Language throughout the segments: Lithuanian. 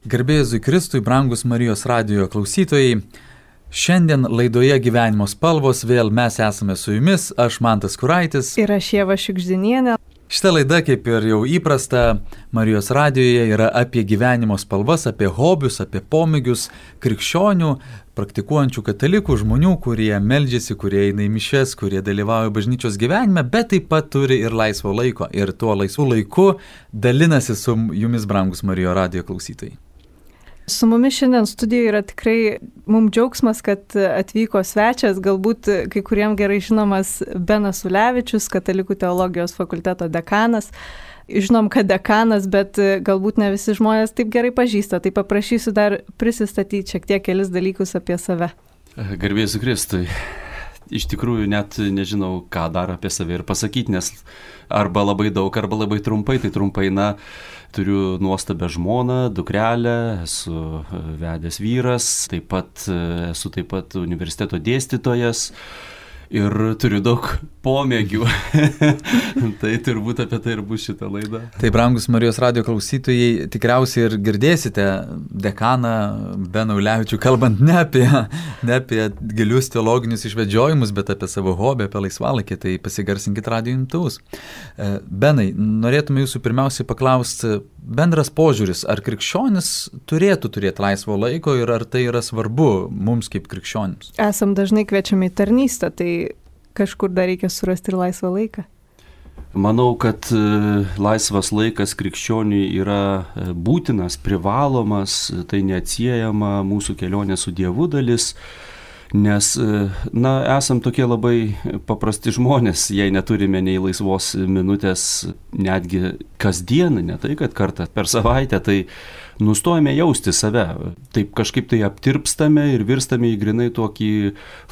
Garbė Jėzui Kristui, brangus Marijos radijo klausytojai. Šiandien laidoje Gyvenimo spalvos vėl mes esame su jumis, aš Mantas Kuraitis. Ir aš Ieva Šikždinienė. Šita laida, kaip ir jau įprasta, Marijos radijoje yra apie gyvenimo spalvas, apie hobius, apie pomėgius krikščionių, praktikuojančių katalikų žmonių, kurie meldžiasi, kurie eina į mišias, kurie dalyvauja bažnyčios gyvenime, bet taip pat turi ir laisvo laiko. Ir tuo laisvu laiku dalinasi su jumis, brangus Marijos radijo klausytojai. Su mumis šiandien studijoje yra tikrai mums džiaugsmas, kad atvyko svečias, galbūt kai kuriems gerai žinomas Benas Ulevičius, Katalikų teologijos fakulteto dekanas. Žinom, kad dekanas, bet galbūt ne visi žmonės taip gerai pažįsta, tai paprašysiu dar prisistatyti šiek tiek kelis dalykus apie save. Garbė Jėzui Kristui. Iš tikrųjų net nežinau, ką dar apie save ir pasakyti, nes arba labai daug, arba labai trumpai. Tai trumpai, turiu nuostabią žmoną, dukrelę, esu vedęs vyras, esu taip pat universiteto dėstytojas ir turiu daug pomėgių. Tai turbūt apie tai ir bus šita laida. Tai, brangus Marijos radijo klausytojai, tikriausiai ir girdėsite dekaną Beną Ulevičių, kalbant ne apie gilius teologinius išvedžiojimus, bet apie savo hobį, apie laisvalaikį, tai pasigarsinkit radijo imtuvus. Benai, norėtume jūsų pirmiausiai paklausti, bendras požiūris, ar krikščionis turėtų turėti laisvo laiko ir ar tai yra svarbu mums kaip krikščionims? Esam dažnai kviečiami į tarnystę, tai kažkur dar reikia surasti ir laisvą laiką. Manau, kad laisvas laikas krikščioniui yra būtinas, privalomas, tai neatsiejama mūsų kelionė su Dievu dalis. Nes, esam tokie labai paprasti žmonės, jei neturime nei laisvos minutės netgi kasdien, ne tai, kad kartą per savaitę, tai nustojame jausti save. Taip kažkaip tai aptirpstame ir virstame į grinai tokį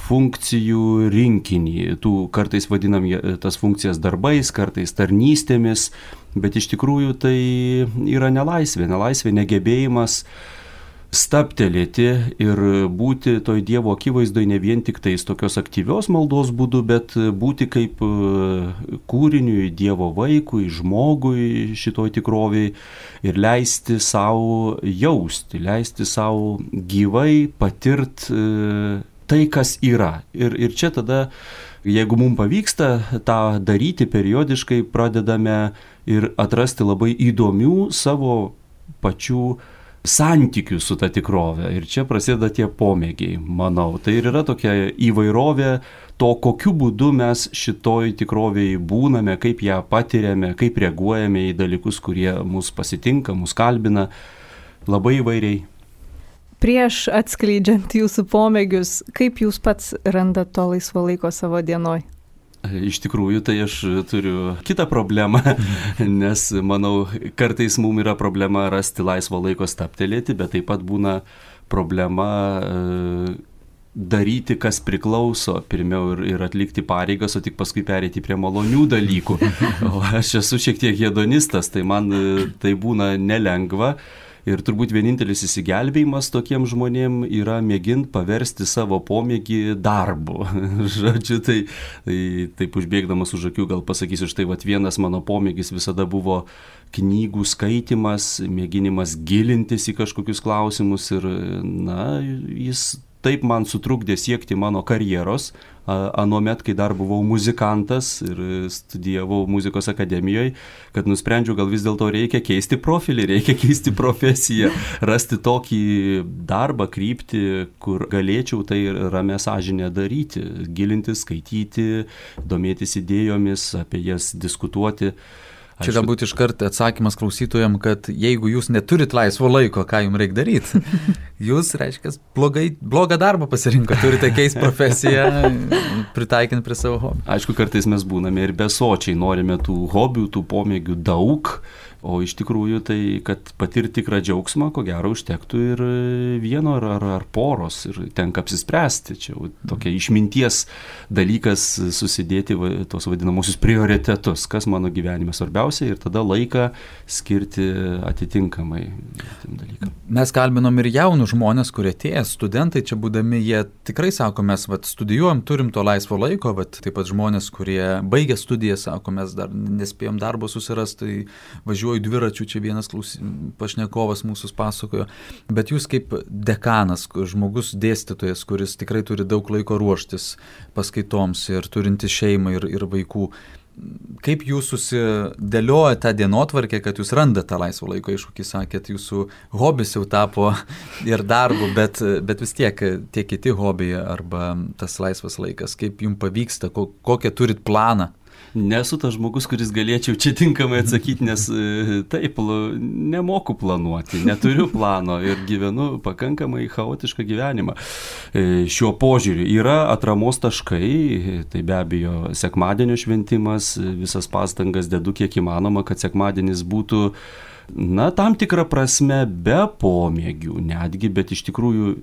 funkcijų rinkinį. Kartais vadinam tas funkcijas darbais, kartais tarnystėmis, bet iš tikrųjų tai yra nelaisvė, negebėjimas stabtelėti ir būti toj Dievo akivaizdoje ne vien tik tais tokios aktyvios maldos būdu, bet būti kaip kūriniui, Dievo vaikui, žmogui šitoj tikroviai ir leisti savo jausti, leisti savo gyvai patirti tai, kas yra. Ir čia tada, jeigu mums pavyksta tą daryti periodiškai, pradedame ir atrasti labai įdomių savo pačių santykių su ta tikrove. Ir čia prasideda tie pomėgiai, manau. Tai ir yra tokia įvairovė to, kokiu būdu mes šitoj tikrovėje būname, kaip ją patiriame, kaip reaguojame į dalykus, kurie mus pasitinka, mus kalbina, labai įvairiai. Prieš atskleidžiant jūsų pomėgius, kaip jūs pats randat to laisvo laiko savo dienoj? Iš tikrųjų, tai aš turiu kitą problemą, nes, manau, kartais mums yra problema rasti laisvo laiko stabtelėti, bet taip pat būna problema daryti, kas priklauso, pirmiau ir atlikti pareigas, o tik paskui pereiti prie malonių dalykų. O aš esu šiek tiek hedonistas, tai man tai būna nelengva. Ir turbūt vienintelis įsigelbėjimas tokiem žmonėm yra mėginti paversti savo pomėgį darbu. Žodžiu, tai taip užbėgdamas už akių gal pasakysiu, štai vienas mano pomėgis visada buvo knygų skaitimas, mėginimas gilintis į kažkokius klausimus ir, jis taip man sutrukdė siekti mano karjeros, anuomet, kai dar buvau muzikantas ir studijavau muzikos akademijoje, kad nusprendžiau, gal vis dėlto reikia keisti profilį, reikia keisti profesiją, rasti tokį darbą, kryptį, kur galėčiau tai ramia sąžinė daryti, gilintis, skaityti, domėtis idėjomis, apie jas diskutuoti. Čia galbūt iškart atsakymas klausytojam, kad jeigu jūs neturit laisvo laiko, ką jums reikia daryti? Jūs, reiškia, blogą darbą pasirinko, turite keisti profesiją, pritaikint prie savo hobių. Aišku, kartais mes būname ir besočiai, norime tų hobių, tų pomėgių daug, o iš tikrųjų tai, kad patirti tikrą džiaugsmą, ko gero užtektų ir vieno ar poros ir tenka apsispręsti. Čia tokia išminties dalykas susidėti tos vadinamosius prioritetus, kas mano gyvenime svarbiausia ir tada laiką skirti atitinkamai. šitiem dalykam. Mes kalbinom ir jaunų žmonės, kurie atėję, studentai čia būdami, jie tikrai sako, mes studijuojam, turim to laisvo laiko, taip pat žmonės, kurie baigė studiją, sako, mes dar nespėjom darbo susirasti, tai važiuoju dviračiu, čia vienas pašnekovas mūsų pasakojo, bet jūs kaip dekanas, žmogus dėstytojas, kuris tikrai turi daug laiko ruoštis paskaitoms ir turinti šeimą ir vaikų, kaip jūs susidėlioja tą dienotvarkę, kad jūs randate tą laisvo laiko, aišku, kai sakėt, jūsų hobis jau tapo ir darbu, bet vis tiek tie kiti hobiai arba tas laisvas laikas, kaip jums pavyksta, kokią turit planą? Nesu tas žmogus, kuris galėčiau čia tinkamai atsakyti, nes taip, nemoku planuoti, neturiu plano ir gyvenu pakankamai chaotišką gyvenimą. Šiuo požiūriu yra atramos taškai, tai be abejo sekmadienio šventimas, visas pastangas dedu kiek įmanoma, kad sekmadienis būtų, tam tikrą prasme be pomėgių netgi, bet iš tikrųjų,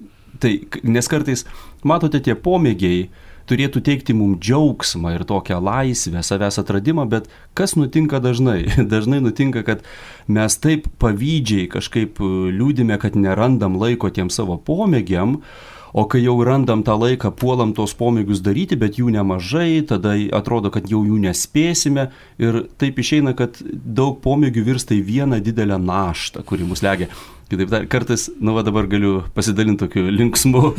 nes kartais, matote, tie pomėgiai turėtų teikti mums džiaugsmą ir tokią laisvę, savęs atradimą, bet kas nutinka dažnai? Dažnai nutinka, kad mes taip pavydžiai kažkaip liūdime, kad nerandam laiko tiem savo pomėgiam, o kai jau randam tą laiką, puolam tos pomėgius daryti, bet jų nemažai, tada atrodo, kad jau jų nespėsime ir taip išeina, kad daug pomėgių virsta į vieną didelę naštą, kuri mus legia. Kitaip kartais, dabar galiu pasidalinti tokiu linksmu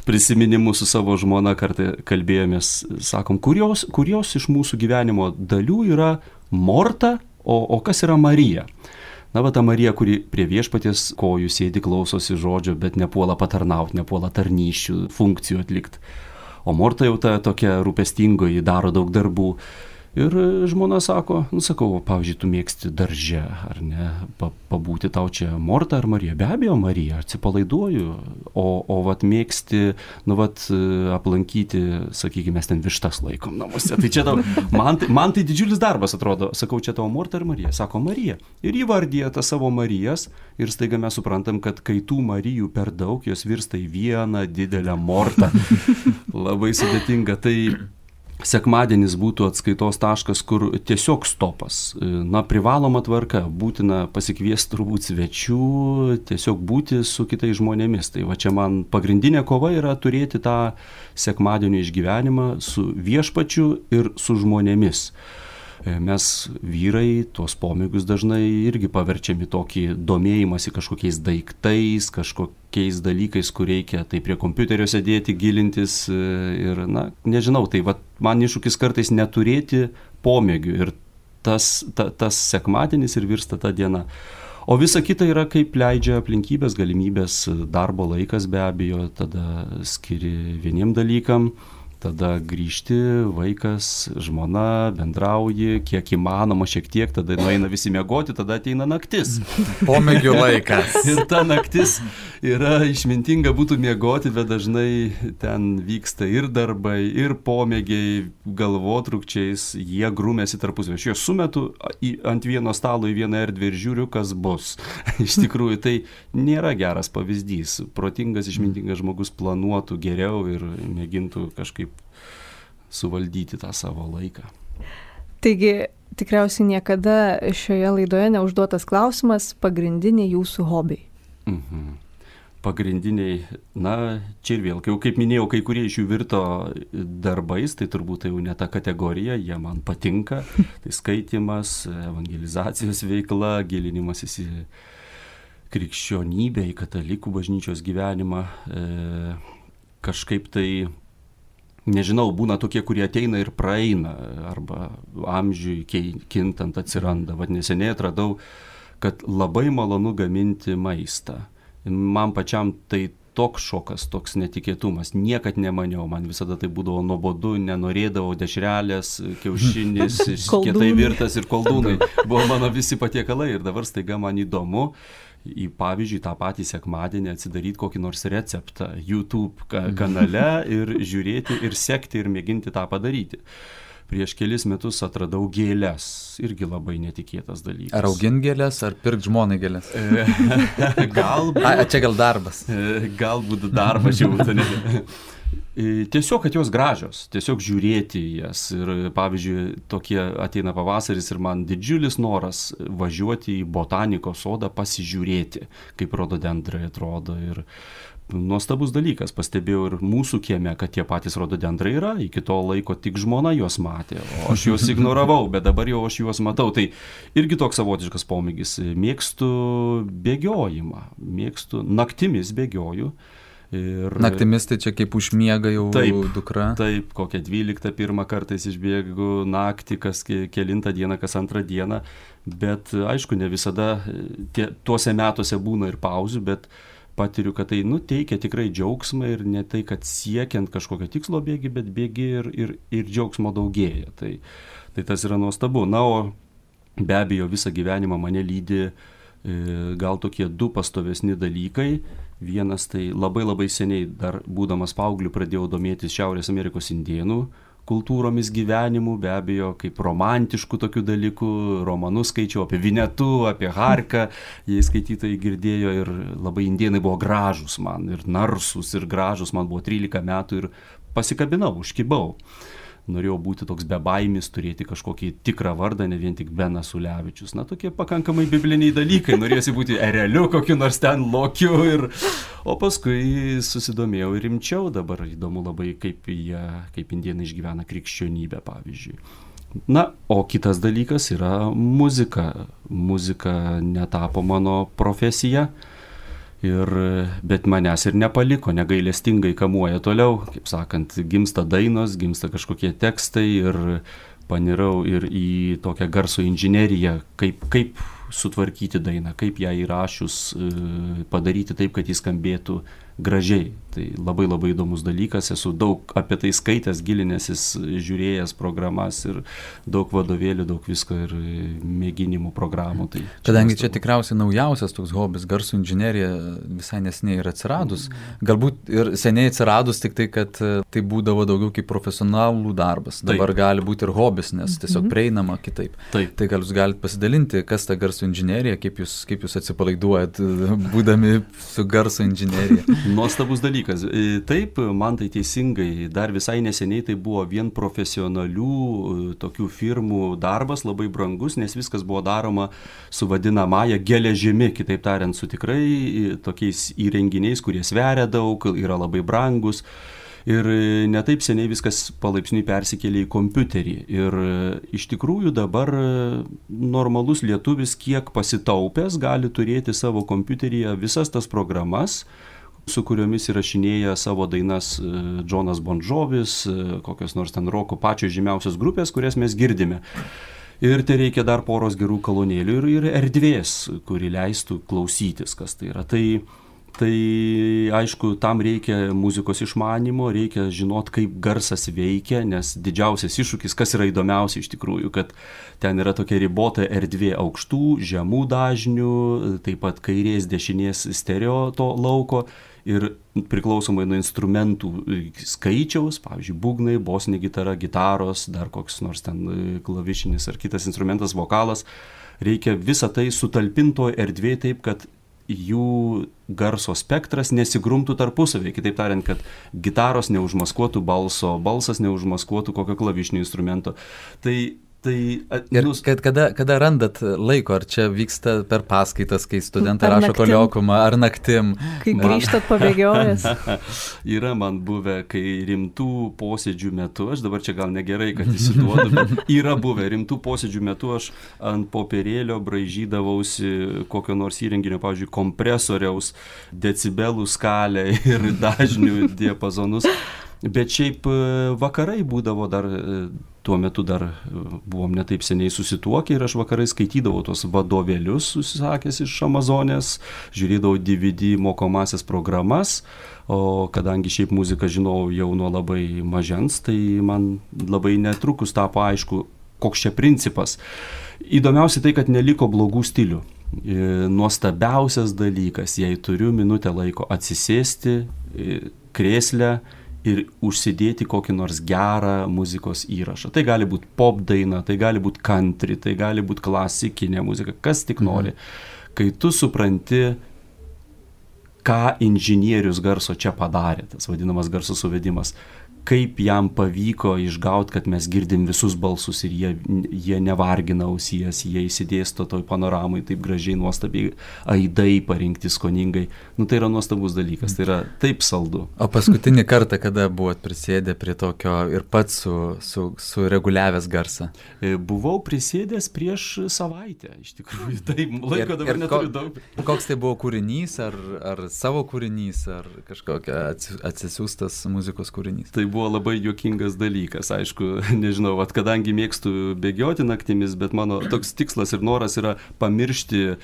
prisiminimu su savo žmona, kartą kalbėjomės, sakom, kurios iš mūsų gyvenimo dalių yra Morta, o kas yra Marija? Ta Marija, kuri prie viešpaties kojų sėdi, klausosi žodžio, bet nepuola patarnauti, nepuola tarnysčių, funkcijų atlikti. O Morta jau ta tokia rūpestingoji, daro daug darbų. Ir žmona sako, sakau, pavyzdžiui, tu mėgsti darže, ar ne, pabūti tau čia Morta ar Marija? Be abejo, Marija, atsipalaiduoju, o mėgsti, aplankyti, sakykime, mes ten vištas laikom namuose. Tai čia tau, man tai didžiulis darbas atrodo, sakau, čia tavo Morta ar Marija? Sako, Marija. Ir įvardyja tą savo Marijas ir staiga mes suprantam, kad kai tų Marijų per daug, jos virsta į vieną didelę Mortą. Labai sudėtinga. Tai sekmadienis būtų atskaitos taškas, kur tiesiog stopas. Privaloma tvarka, būtina pasikviesti turbūt svečių, tiesiog būti su kitais žmonėmis. Tai čia man pagrindinė kova yra turėti tą sekmadienio išgyvenimą su viešpačiu ir su žmonėmis. Mes vyrai tuos pomėgius dažnai irgi paverčiami tokį domėjimąsi kažkokiais daiktais, kažkokiais dalykais, kur reikia tai prie kompiuterio sėdėti, gilintis ir, nežinau, tai man iššūkis kartais neturėti pomėgių ir tas sekmadienis ir virsta ta diena. O visa kita yra kaip leidžia aplinkybės, galimybės, darbo laikas be abejo, tada skiri vieniem dalykam. Tada grįžti, vaikas, žmona, bendrauji, kiek įmanoma šiek tiek, tada nueina visi miegoti, tada ateina naktis. Pomėgių laikas. Ir ta naktis yra išmintinga būtų miegoti, bet dažnai ten vyksta ir darbai, ir pomėgiai, galvotrūkčiais, jie grūmėsi tarpusavy. Aš juos sumetu ant vieno stalo į vieną erdvę ir žiūriu, kas bus. Iš tikrųjų, tai nėra geras pavyzdys. Protingas, išmintingas žmogus planuotų geriau ir mėgintų kažkaip suvaldyti tą savo laiką. Taigi, tikriausiai niekada šioje laidoje neužduotas klausimas, pagrindiniai jūsų hobiai. Pagrindiniai, čia ir vėl, kaip minėjau, kai kurie iš jų virto darbais, tai turbūt jau ne ta kategorija, jie man patinka. Tai skaitimas, evangelizacijos veikla, gilinimasis į krikščionybę, į katalikų bažnyčios gyvenimą, kažkaip tai nežinau, būna tokie, kurie ateina ir praeina, arba amžiui kintant atsiranda. Neseniai atradau, kad labai malonu gaminti maistą. Man pačiam tai toks šokas, toks netikėtumas. Niekad nemaniau, man visada tai būdavo nuobodu, nenorėdavau dešrelės, kiaušinis, kietai virtas ir koldūnai. Buvo mano visi patiekalai ir dabar staiga man įdomu. Pavyzdžiui, tą patį sekmadienį atsidaryti kokį nors receptą YouTube kanale ir žiūrėti ir sekti ir mėginti tą padaryti. Prieš kelis metus atradau gėles, irgi labai netikėtas dalykas. Ar augint gėles, ar pirkt žmonai gėles? Galbūt. Čia gal darbas. Galbūt darbas jau būtų. Tiesiog, kad jos gražios, tiesiog žiūrėti jas. Ir pavyzdžiui, tokie ateina pavasaris ir man didžiulis noras važiuoti į botanikos sodą pasižiūrėti, kaip rododendrai atrodo. Ir nuostabus dalykas, pastebėjau ir mūsų kieme, kad tie patys rododendrai yra, iki to laiko tik žmona juos matė, o aš juos ignoravau, bet dabar jau aš juos matau. Tai irgi toks savotiškas pomėgis. Mėgstu bėgiojimą, naktimis bėgioju. Ir naktimis tai čia kaip užmiega jau dukra. Taip, kokią 12 pirmą kartais išbėgu naktį, kas kelintą dieną, kas antrą dieną, bet aišku, ne visada tuose metuose būna ir pauzių, bet patiriu, kad tai teikia tikrai džiaugsmą ir ne tai, kad siekiant kažkokio tikslo bėgi, bet bėgi ir džiaugsmo daugėja. Tai tas yra nuostabu. Na, o be abejo visą gyvenimą mane lydi gal tokie 2 pastovesni dalykai. Vienas tai labai seniai, dar būdamas paaugliu, pradėjau domėtis Šiaurės Amerikos indėnų kultūromis, gyvenimu, be abejo, kaip romantiškų tokių dalykų, romanus skaičiau apie Vinetu, apie Harką, jei skaitytojai girdėjo, ir labai indėnai buvo gražus man, ir narsūs, ir gražus, man buvo 13 metų ir pasikabinau, užkibau. Norėjau būti toks bebaimis, turėti kažkokį tikrą vardą, ne vien tik Benas Ulevičius. Na, tokie pakankamai bibliniai dalykai. Norėjusi būti ereliu, kokiu nors ten lokiu. O paskui susidomėjau ir rimčiau. Dabar įdomu labai, kaip indėnai išgyvena krikščionybę, pavyzdžiui. Na, o kitas dalykas yra muzika. Muzika netapo mano profesija. Bet manęs ir nepaliko, negailestingai kamuoja toliau, kaip sakant, gimsta dainos, gimsta kažkokie tekstai ir panirau ir į tokią garso inžineriją, kaip sutvarkyti dainą, kaip ją įrašius padaryti taip, kad jis skambėtų gražiai. Tai labai įdomus dalykas, esu daug apie tai skaitęs, gilinęsis, žiūrėjęs programas ir daug vadovėlių, daug visko ir mėginimų programų. Tai kadangi čia tikriausiai naujausias toks hobis, garso inžinerija, visai neseniai ir atsiradus, galbūt ir seniai atsiradus, tik tai, kad tai būdavo daugiau kaip profesionalų darbas. Dabar gali būti ir hobis, nes tiesiog prieinama kitaip. Taip. Tai gal jūs galite pasidalinti, kas ta garso inžinerija, kaip jūs atsipalaiduojat, būdami su garso inžinerija. Nuostabus dalykas. Taip, man tai teisingai, dar visai neseniai tai buvo vien profesionalių tokių firmų darbas, labai brangus, nes viskas buvo daroma su vadinamąja geležimi, kitaip tariant, su tikrai tokiais įrenginiais, kurie sveria daug, yra labai brangus. Ir netaip seniai viskas palaipsniui persikėlė į kompiuterį. Ir iš tikrųjų dabar normalus lietuvis, kiek pasitaupęs, gali turėti savo kompiuteryje visas tas programas, su kuriomis įrašinėja savo dainas Džonas Bon Jovis, kokios nors ten roko pačios žymiausios grupės, kurias mes girdime. Ir tai reikia dar poros gerų kolonėlių ir erdvės, kuri leistų klausytis, kas tai yra. Tai aišku, tam reikia muzikos išmanymo, reikia žinot, kaip garsas veikia, nes didžiausias iššūkis, kas yra įdomiausia iš tikrųjų, kad ten yra tokia ribota erdvė aukštų, žemų dažnių, taip pat kairės, dešinės stereo to lauko. Ir priklausomai nuo instrumentų skaičiaus, pavyzdžiui, būgnai, bosinė gitara, gitaros, dar koks nors ten klavišinis ar kitas instrumentas, vokalas, reikia visą tai sutalpinto erdvėje taip, kad jų garso spektras nesigrumtų tarpusavėje. Kitaip tariant, kad gitaros neužmaskuotų balso, balsas neužmaskuotų kokio klavišinio instrumento. Ir kada randat laiko, ar čia vyksta per paskaitas, kai studentai rašo koliokumą, ar naktim? Kai grįžtat pabėgiojęs? Yra man buvę, kai rimtų posėdžių metu, aš dabar čia gal negerai, kad įsiduodu, bet yra buvę rimtų posėdžių metu, aš ant popierėlio braižydavausi kokio nors įrenginio, pavyzdžiui, kompresoriaus, decibelų skalę ir dažnių diapazonus. Bet šiaip vakarai būdavo dar, tuo metu dar buvom netaip seniai susituokę ir aš vakarai skaitydavau tos vadovėlius susisakęs iš Amazonės, žiūrėdavau DVD mokomasias programas, o kadangi šiaip muziką žinau jau nuo labai mažens, tai man labai netrukus tapo aišku, koks čia principas. Įdomiausia tai, kad neliko blogų stilių. Nuostabiausias dalykas, jei turiu minutę laiko atsisėsti krėslę ir užsidėti kokį nors gerą muzikos įrašą. Tai gali būti pop daina, tai gali būti country, tai gali būti klasikinė muzika, kas tik nori. Kai tu supranti, ką inžinierius garso čia padarė, tas vadinamas garso suvedimas. Kaip jam pavyko išgauti, kad mes girdim visus balsus ir jie nevargina ausies, jie įsidėsto toj panoramai taip gražiai, nuostabiai, aidai parinkti skoningai. Tai yra nuostabus dalykas, tai yra taip saldu. O paskutinį kartą, kada buvot prisėdę prie tokio ir pats sureguliavęs garsą? Buvau prisėdęs prieš savaitę, iš tikrųjų. Taip, laiko dabar neturiu daug. Koks tai buvo kūrinys, ar savo kūrinys, ar kažkokia atsisiųstas muzikos kūrinys? Tai buvo labai juokingas dalykas, aišku, nežinau, kadangi mėgstu bėgioti naktimis, bet mano toks tikslas ir noras yra pamiršti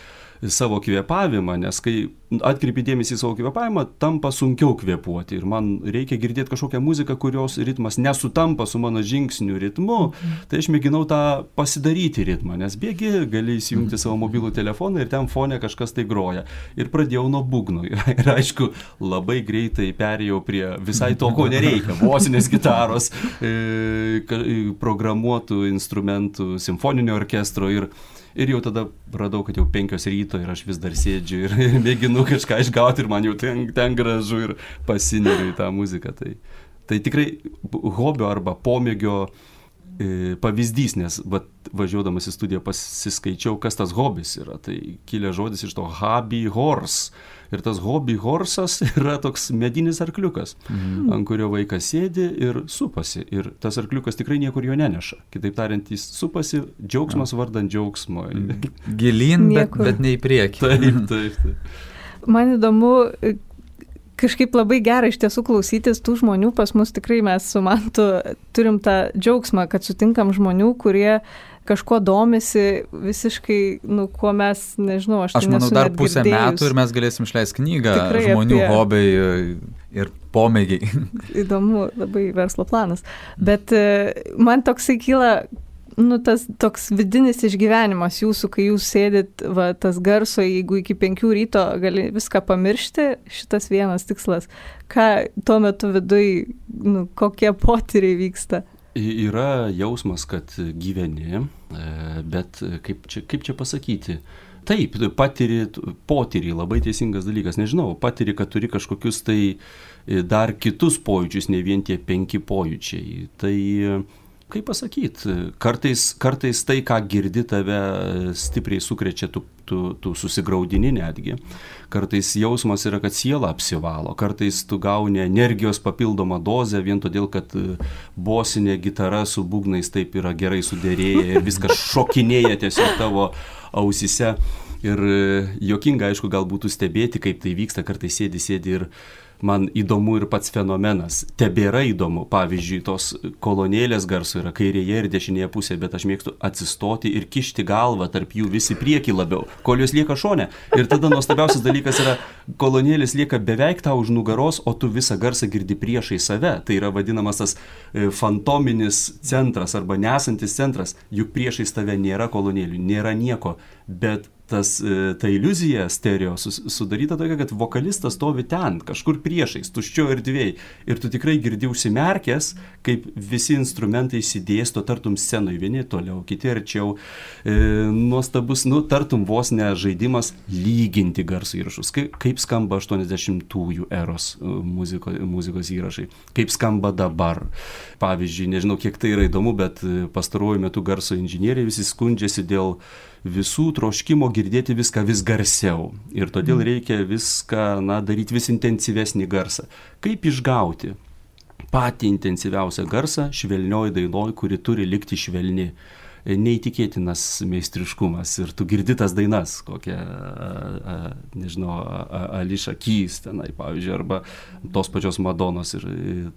savo kvėpavimą, nes kai atkreipi dėmesį į savo kvėpavimą, tampa sunkiau kvėpuoti ir man reikia girdėti kažkokią muziką, kurios ritmas nesutampa su mano žingsnių ritmu, tai aš mėginau tą pasidaryti ritmą, nes bėgi, gali įsijungti savo mobilų telefoną ir ten fone kažkas tai groja. Ir pradėjau nuo būgnų ir aišku, labai greitai perėjau prie visai to, ko nereikia, bosinės gitaros, programuotų instrumentų, simfoninio orkestro ir jau tada radau, kad jau 5 ryto ir aš vis dar sėdžiu ir mėginu kažką išgauti ir man jau ten gražu ir pasineriu į tą muziką. Tai tikrai hobio arba pomėgio pavyzdys, nes važiuodamas į studiją pasiskaičiau, kas tas hobis yra. Tai kilė žodis iš to hobby horse. Ir tas hobby horsas yra toks medinis arkliukas, ant kurio vaikas sėdi ir supasi. Ir tas arkliukas tikrai niekur jo neneša. Kitaip tariant, jis supasi, džiaugsmas vardan džiaugsmo. Gilyn, bet ne į priekį. Taip. Man įdomu, kažkaip labai gera iš tiesų klausytis tų žmonių. Pas mus tikrai mes su Mantu turim tą džiaugsmą, kad sutinkam žmonių, kurie kažkuo domisi visiškai, kuo mes, nežinau, aš manau, dar pusę metų ir mes galėsim išleisti knygą tikrai žmonių hobiai ir pomėgiai. Įdomu, labai verslo planas. Bet man toksai kyla, tas toks vidinis išgyvenimas jūsų, kai jūs sėdit, tas garso, jeigu iki 5 ryto gali viską pamiršti, šitas vienas tikslas. Ką tuo metu viduj, kokie potyriai vyksta? Yra jausmas, kad gyveni, bet kaip čia pasakyti? Taip, potyrį, labai teisingas dalykas. Nežinau, patyrį, kad turi kažkokius tai dar kitus pojūčius, ne vien tie 5 pojūčiai. Tai, kaip pasakyti, kartais tai, ką girdi, tave stipriai sukrečia, tu susigraudini netgi. Kartais jausmas yra, kad siela apsivalo. Kartais tu gauni energijos papildomą dozę vien todėl, kad bosinė gitara su būgnais taip yra gerai sudėrėję ir viskas šokinėja tiesiog tavo ausise. Ir juokinga, aišku, gal būtų stebėti, kaip tai vyksta. Kartais sėdi ir man įdomu ir pats fenomenas. Tebėra įdomu. Pavyzdžiui, tos kolonėlės garso yra kairėje ir dešinėje pusėje, bet aš mėgstu atsistoti ir kišti galvą tarp jų visi priekį labiau, kol jos lieka šone. Ir tada nuostabiausias dalykas yra, kolonėlės lieka beveik tau už nugaros, o tu visą garsą girdi priešai save. Tai yra vadinamas tas fantominis centras arba nesantis centras. Juk priešais tave nėra kolonėlių, nėra nieko, bet ta iliuzija stereo sudaryta tokia, kad vokalistas stovi ten, kažkur priešais, tuščio erdvėj. Ir tu tikrai girdi užsimerkęs, kaip visi instrumentai įsidėsto tartum scenoje, vieni toliau, kiti arčiau. Nuostabus, tartum vos ne žaidimas lyginti garso įrašus. Kaip skamba 80-ųjų eros muzikos įrašai. Kaip skamba dabar. Pavyzdžiui, nežinau, kiek tai yra įdomu, bet pastaruoju metu garso inžinieriai visi skundžiasi dėl visų troškimo girdėti viską vis garsiau. Ir todėl reikia viską, daryti vis intensyvesnį garsą. Kaip išgauti patį intensyviausią garsą švelnioj dainoj, kuri turi likti švelni? Neįtikėtinas meistriškumas. Ir tu girdi tas dainas, kokią, nežinau, Alicia Keys tenai, pavyzdžiui, arba tos pačios Madonos. Ir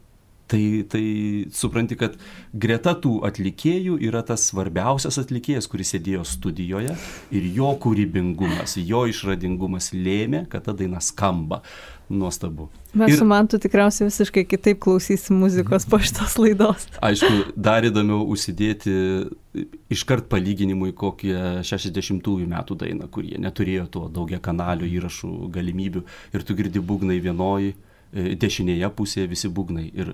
tai supranti, kad greta tų atlikėjų yra tas svarbiausias atlikėjas, kuris sėdėjo studijoje ir jo kūrybingumas, jo išradingumas lėmė, kad ta daina skamba. Nuostabu. Mes su Mantu tikriausiai visiškai kitaip klausysim muzikos po šitos laidos. Aišku, dar įdomiau užsidėti iškart palyginimui kokią 60-ųjų metų dainą, kurie neturėjo to daugia kanalių įrašų galimybių ir tu girdi būgnai vienoj, dešinėje pusėje visi būgnai ir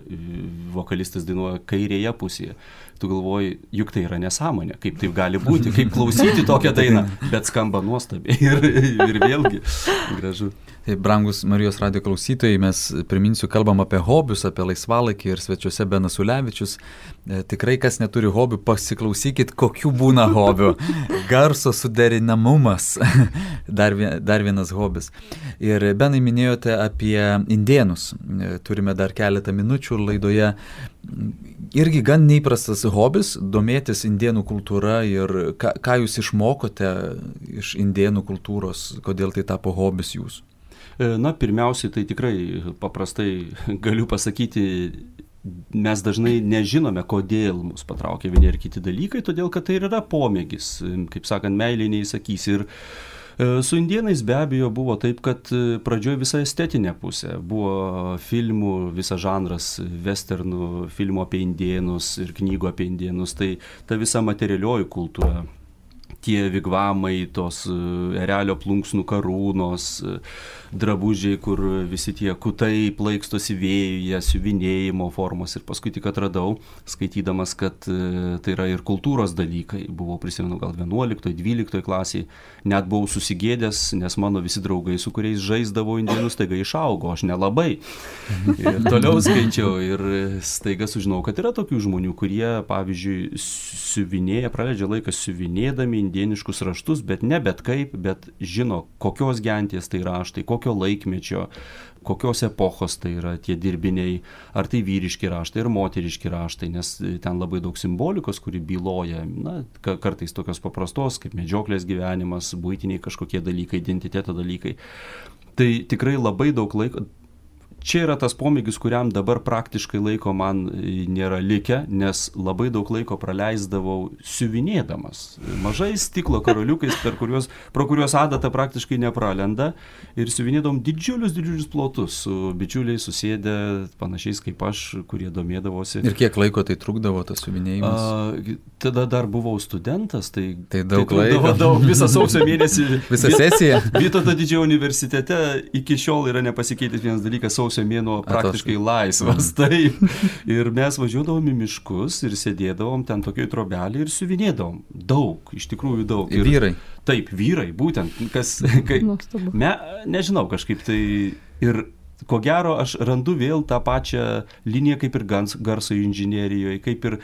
vokalistas dainuoja kairėje pusėje. Tu galvoji, juk tai yra nesąmonė, kaip taip gali būti, kaip klausyti tokią dainą, bet skamba nuostabiai ir vėlgi gražu. Tai, brangus Marijos radijo klausytojai, mes priminsiu, kalbam apie hobius, apie laisvalaikį ir svečiuose Benas Ulevičius. Tikrai, kas neturi hobių, pasiklausykit, kokių būna hobių. Garso suderinamumas, dar vienas hobis. Ir Benai minėjote apie indėnus. Turime dar keletą minučių laidoje. Irgi gan neįprastas hobis, domėtis indėnų kultūra ir ką jūs išmokote iš indėnų kultūros, kodėl tai tapo hobis jūsų? Na, pirmiausiai, tai tikrai paprastai galiu pasakyti, mes dažnai nežinome, kodėl mus patraukia vieni ir kiti dalykai, todėl kad tai yra pomėgis, kaip sakant, meilė neįsakys. Ir su indėnais be abejo buvo taip, kad pradžioje visa estetinė pusė. Buvo filmų, visas žanras, westernų, filmų apie indėnus ir knygų apie indėnus, tai ta visa materialioji kultūra. Tie vigvamai, tos erelio plunksnų karūnos, drabužiai, kur visi tie kutai plaikstosi vėjuje, siuvinėjimo formos. Ir paskui tik atradau, skaitydamas, kad tai yra ir kultūros dalykai. Buvau, prisimenu, gal 11-12 klasiai. Net buvau susigėdęs, nes mano visi draugai, su kuriais žaisdavau indėnus, staiga išaugo, aš nelabai. Ir toliau skaičiau ir staiga sužinau, kad yra tokių žmonių, kurie, pavyzdžiui, siuvinėja, praleidžia laiką siuvinėdami indėniškus raštus, bet ne bet kaip, bet žino, kokios genties tai raštai, kokio laikmečio, kokios epochos tai yra tie dirbiniai, ar tai vyriški raštai, ar moteriški raštai, nes ten labai daug simbolikos, kuri byloja, na, kartais tokios paprastos, kaip medžioklės gyvenimas, buitiniai kažkokie dalykai, identiteto dalykai. Tai tikrai labai daug laiko. Čia yra tas pomėgis, kuriam dabar praktiškai laiko man nėra likę, nes labai daug laiko praleisdavau siuvinėdamas. Mažais stiklo karoliukais, pro kuriuos adata praktiškai nepralenda, ir siuvinėdavom didžiulius plotus su bičiuliais susėdę, panašiais kaip aš, kurie domėdavosi. Ir kiek laiko tai trukdavo tas siuvinėjimas? Tada dar buvau studentas, tai daug laiko. Daug, visą sausio mėnesį. Visą sesiją? Vytauto Didžiojo universitete iki šiol yra nepasikeitęs vienas dalykas, sausio mėnuo praktiškai laisvas. Taip. Ir mes važiuodavom į miškus ir sėdėdavom ten tokioj trobelį ir siuvinėdavom. Daug, iš tikrųjų daug. Ir vyrai? Taip, vyrai, būtent. Nežinau, kažkaip tai. Ir ko gero aš randu vėl tą pačią liniją kaip ir garso inžinerijoje, kaip ir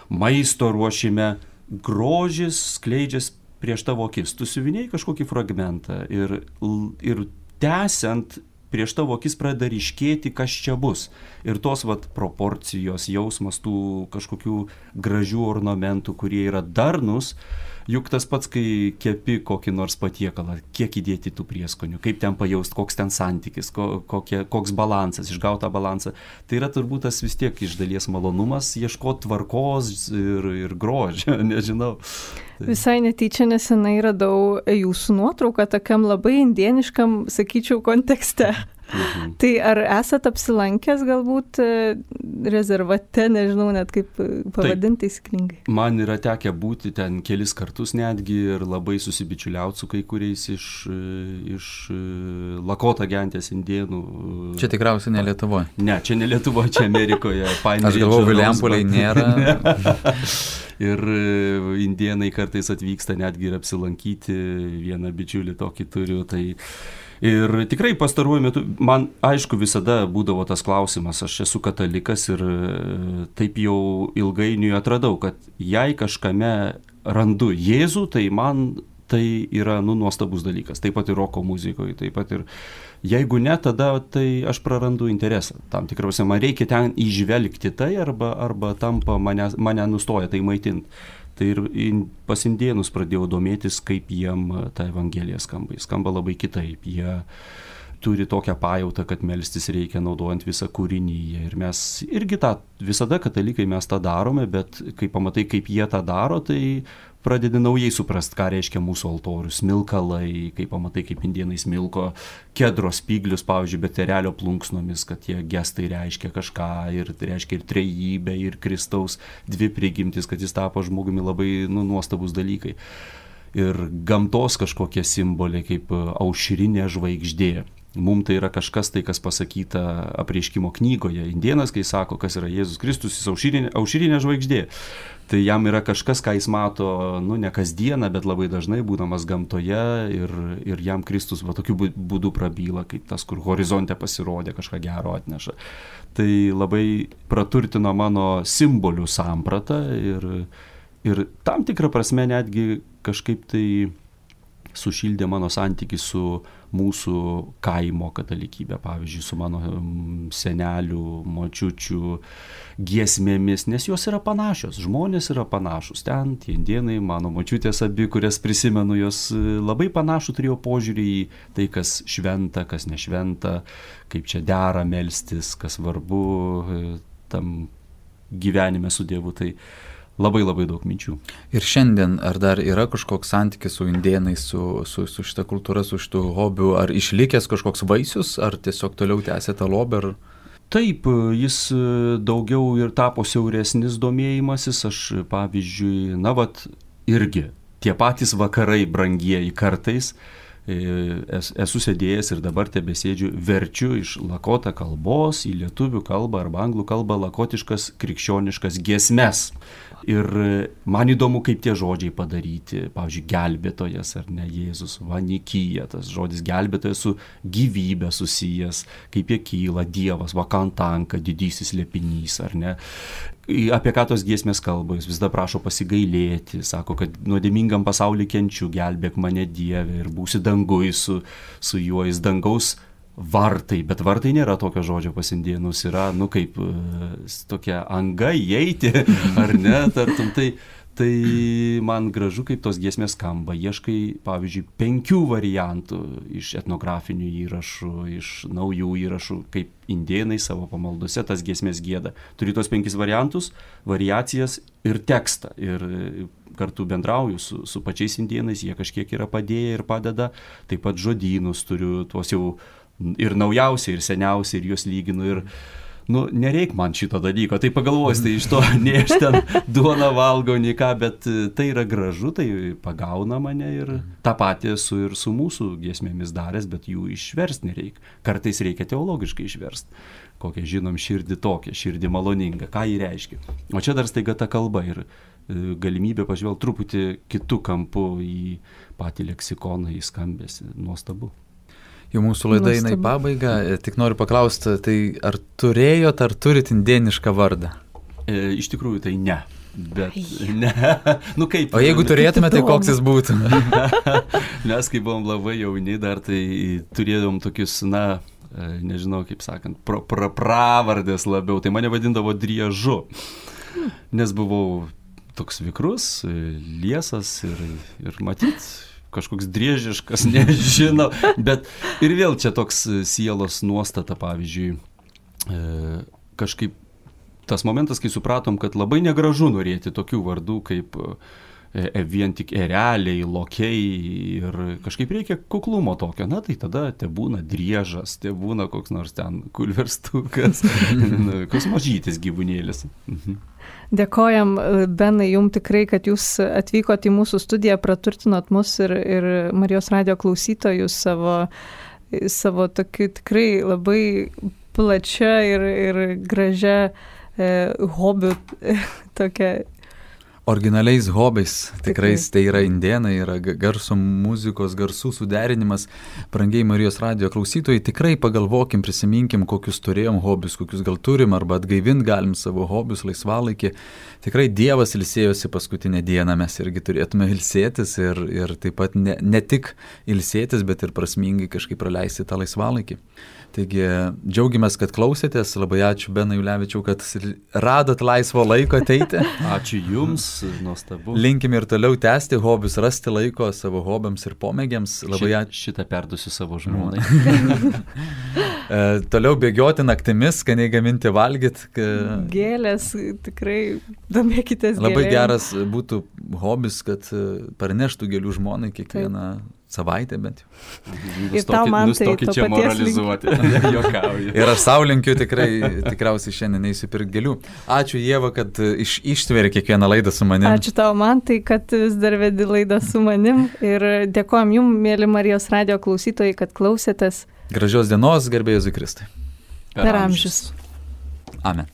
maisto ruošime. Grožis skleidžias prieš tavo akis. Tu siuvinėjai kažkokį fragmentą ir tęsiant prieš tavo akis pradeda ryškėti, kas čia bus. Ir tos proporcijos, jausmas tų kažkokių gražių ornamentų, kurie yra darnus, juk tas pats, kai kepi kokį nors patiekalą, kiek įdėti tų prieskonių, kaip ten pajaust, koks ten santykis, koks balansas, išgaut tą balansą. Tai yra turbūt tas vis tiek iš dalies malonumas, ieškoti tvarkos ir grožio, nežinau. Visai netyčia nesenai radau jūsų nuotrauką tokiam labai indieniškam, sakyčiau, kontekste. Tai ar esat apsilankęs galbūt rezervate, nežinau net kaip pavadinti taisyklingai? Man yra tekę būti ten kelis kartus netgi ir labai susibičiuliauti su kai kuriais iš Lakota gentės indėnų. Čia tikriausiai ne Lietuvoje. Ne, čia ne Lietuvoje, čia Amerikoje. Aš galvoju, Viliampoliai nėra. Ir indėnai kartais atvyksta netgi ir apsilankyti, vieną bičiulį tokį turiu, tai ir tikrai pastaruoju metu, man aišku visada būdavo tas klausimas, aš esu katalikas ir taip jau ilgainiui atradau, kad jei kažkame randu Jėzų, tai man tai yra nuostabus dalykas, taip pat ir roko muzikoje, taip pat ir jeigu ne, tada tai aš prarandu interesą. Tam tikriausiai man reikia ten įžvelgti tai arba tampa mane nustoja tai maitinti. Tai ir pas indėnus pradėjau domėtis, kaip jiem ta evangelija skamba. Jis skamba labai kitaip. Jie turi tokią pajautą, kad melstis reikia naudojant visą kūrinyje. Ir mes irgi visada katalikai mes tą darome, bet kai pamatai, kaip jie tą daro, tai pradedi naujai suprast, ką reiškia mūsų altorius, smilkalai, kai pamatai, kaip indėnai smilko kedro spyglius, pavyzdžiui, bet erelio plunksnomis, kad tie gestai reiškia kažką ir tai reiškia ir trejybę, ir Kristaus dvi prigimtis, kad jis tapo žmogumi, labai nuostabus dalykai. Ir gamtos kažkokie simboliai, kaip aušrinė žvaigždė. Mums tai yra kažkas tai, kas pasakyta Apreiškimo knygoje. Indėnas, kai sako, kas yra Jėzus Kristus, jis aušrinė žvaigždė. Tai jam yra kažkas, ką jis mato, ne kasdieną, bet labai dažnai būdamas gamtoje ir jam Kristus tokiu būdu prabyla, kaip tas, kur horizonte pasirodė, kažką gero atneša. Tai labai praturtino mano simbolių sampratą ir tam tikrą prasme netgi kažkaip tai sušildė mano santykį su mūsų kaimo katalikybė, pavyzdžiui, su mano senelių, močiučių giesmėmis, nes jos yra panašios, žmonės yra panašus. Ten tie indėnai, mano močiutės abi, kurias prisimenu, jos labai panašų turėjo požiūrį į tai, kas šventa, kas nešventa, kaip čia dera melstis, kas svarbu tam gyvenime su Dievu. Tai labai daug minčių. Ir šiandien ar dar yra kažkoks santykis su indėnais, su šita kultūra, su šitų hobių, ar išlikęs kažkoks vaisius, ar tiesiog toliau tęsė tą lobį? Taip, jis daugiau ir tapo siauresnis domėjimasis, aš pavyzdžiui, irgi tie patys vakarai brangieji kartais, esu sėdėjęs ir dabar tebesėdžiu, verčiu iš lakota kalbos į lietuvių kalbą arba anglų kalbą lakotiškas krikščioniškas giesmes. Ir man įdomu, kaip tie žodžiai padaryti. Pavyzdžiui, gelbėtojas ar ne, Jėzus, vanikyja, tas žodis gelbėtojas su gyvybė susijęs, kaip jie kyla, Dievas, vakantanka, didysis slėpinys, ar ne. Apie ką tos giesmės kalba, jis visada prašo pasigailėti, sako, kad nuodėmingam pasauly kenčiu, gelbėk mane Dieve ir būsi dangui su juo, jis dangaus vartai, bet vartai nėra tokio žodžio pas indėnus, yra, kaip tokia anga įeiti, ar ne, tartum, tai man gražu, kaip tos giesmės skamba. Ieškai, pavyzdžiui, 5 variantų iš etnografinių įrašų, iš naujų įrašų, kaip indėnai savo pamaldose tas giesmės gieda. Turi tos 5 variantus, variacijas ir tekstą. Ir kartu bendrauju su pačiais indėnais, jie kažkiek yra padėję ir padeda. Taip pat žodynus turiu, tuos jau ir naujausiai, ir seniausiai, ir juos lyginu. Ir nereik man šito dalyko, tai pagalvojus, tai iš to nei aš ten duoną valgau, nei ką, bet tai yra gražu, tai pagauna mane ir tą patį esu ir su mūsų giesmėmis daręs, bet jų išversti nereikia. Kartais reikia teologiškai išversti. Kokią žinom širdį tokią, širdį maloningą, ką jį reiškia. O čia dar staiga ta kalba ir galimybė pažvelgti truputį kitų kampų į patį leksikoną, į skambesį. Nuostabu. Jau mūsų laida eina į pabaigą, tik noriu paklausti, tai ar turėjot, ar turit indėnišką vardą? Iš tikrųjų tai ne. Bet ne. Kaip? O jeigu turėtume, tai koks jis būtų? Mes, kai buvom labai jauni dar, tai turėjom tokius, nežinau, kaip sakant, pravardės labiau, tai mane vadindavo Driežu, nes buvau toks vikrus, liesas ir matyt, kažkoks driežiškas, nežinau, bet ir vėl čia toks sielos nuostata, pavyzdžiui, kažkaip tas momentas, kai supratom, kad labai negražu norėti tokių vardų kaip vien tik ereliai, lokiai ir kažkaip reikia kuklumo tokio, tai tada tebūna Driežas, tebūna koks nors ten kulverstukas, koks mažytis gyvūnėlis. Dėkojam, Benai, jums tikrai, kad jūs atvykote į mūsų studiją, praturtinot mus ir Marijos radijo klausytojus savo tokiu tikrai labai plačia ir gražia hobių tokia. Originaliais hobiais, tikrais, tai yra indėnai, yra garso muzikos, garsų suderinimas. Brangiai Marijos radijo klausytojai, tikrai pagalvokim, prisiminkim, kokius turėjom hobius, kokius gal turim, arba atgaivint galim savo hobius laisvalaikį. Tikrai Dievas ilsėjosi paskutinę dieną, mes irgi turėtume ilsėtis ir taip pat ne tik ilsėtis, bet ir prasmingai kažkaip praleisti tą laisvalaikį. Taigi džiaugiamės, kad klausėtės, labai ačiū Benai Ulevičiau, kad radot laisvo laiko ateiti. Ačiū Jums, nuostabu. Linkim ir toliau tęsti hobius, rasti laiko savo hobiams ir pomėgiams. Šitą perduosiu savo žmonai. Toliau bėgioti naktimis, skaniai gaminti, valgyti. Gėlės, tikrai domėkitės gėlėm. Labai geras būtų hobis, kad parneštų gėlių žmonai kiekvieną savaitę bent jau. Ir tau man tai to čia moralizuoti. Ir aš sau linkiu tikriausiai šiandien eisiu pirkti gėlių. Ačiū Ieva, kad ištveri kiekvieną laidą su manim. Ačiū tau man tai, kad vis dar vedi laidą su manim. Ir dėkojom jums, mėly Marijos radijo klausytojai, kad klausėtės. Gražios dienos, garbė Jėzui Kristui. Per amžius. Amen.